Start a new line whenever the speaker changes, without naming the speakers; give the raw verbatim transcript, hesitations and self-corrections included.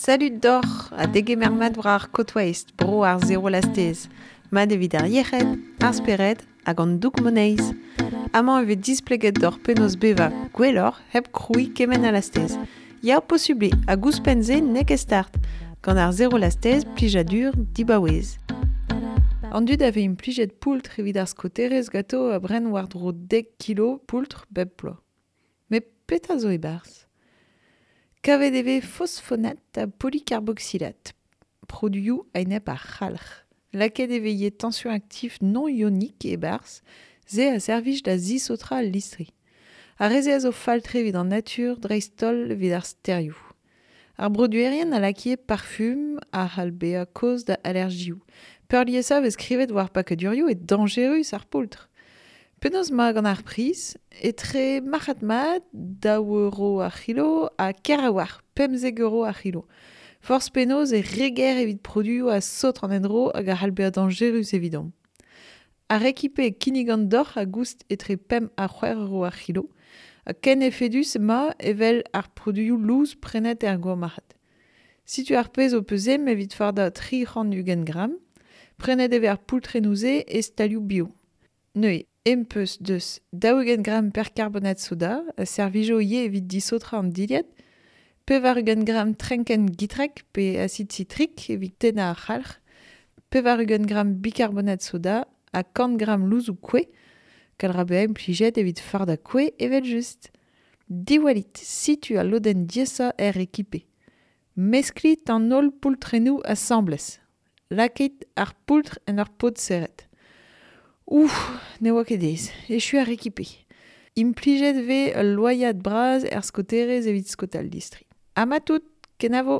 Salut doc'h ha degemer mat war ar Côte Waste, bro ar zero lastez. Mat evit ar yec'hed, ar spered hag an doug moneiz. Amañ e vez displeget doc'h penaos bevañ gwelloc'h hep krouiñ kement a lastez. Ya posubl eo hag ouzhpenn-se n'eo ket start. Gant ar zero lastez, plijadur dibaouez. An dud a vez implijet poultr evit ar skaoterezh ganto a bren war-dro dek kilo poultr bep bloaz. Met petra zo e-barzh ? Kavet e vez fosfonat ha polycarboxylate, produioù a-enep ar c'halc'h. Lakaet e vez ivez tension actif non ionique e-barzh, se a servij da zisaotrañ al listri. Ar re-se a zo fall-tre evit an natur, dreist-holl evit ar stêrioù. Ar broduerien a lak ivez parfum a c'hall bezañ kaoz da alergioù. Peurliesañ e vez skrivet war pakadurioù eo dañjerus ar poultr. Penaos emañ gant ar priz ? Etre marc'had-mat, daou euro ar c'hilo ha ker a-walc'h, pemzek euro ar c'hilo. Forzh penaos e re ger evit produioù a saotr an endro hag a c'hall bezañ dañjerus evidomp. Ar rekipe kinnigan doc'h a goust etre pemp ha c'hwec'h euro ar c'hilo, ha ken efedus emañ evel ar produioù lous prenet er gourmarc'had. Setu ar pezh ho peus ezhomm evit fardañ tri c'hant ugent gramm, prenet e vez ar poultrennoù-se e stalioù bio. Neuze, em peus deus daou-ugent gramm percarbonate soda a servijo ivez evit disaotrañ an dilhad, pevar-ugent gramm trenkenn gitrek pe acid sitrik evit tennañ ar c'halc'h, pevar-ugent gramm bicarbonate soda ha kant gramm louzoù kouez, gall ra bezañ implijet evit fardañ kouez evel-just. Diwallit, setu al lodenn diaesañ er rekipe. Mesklit an holl poultrennoù asambles. Lakait ar poultr en ur pod serret. Ouf, ne oa ket aes, echu ar rekipe. Implijet vez ul loaiad bras er skaoterezh evit skaotal listri. Ha ma tout, kenavo !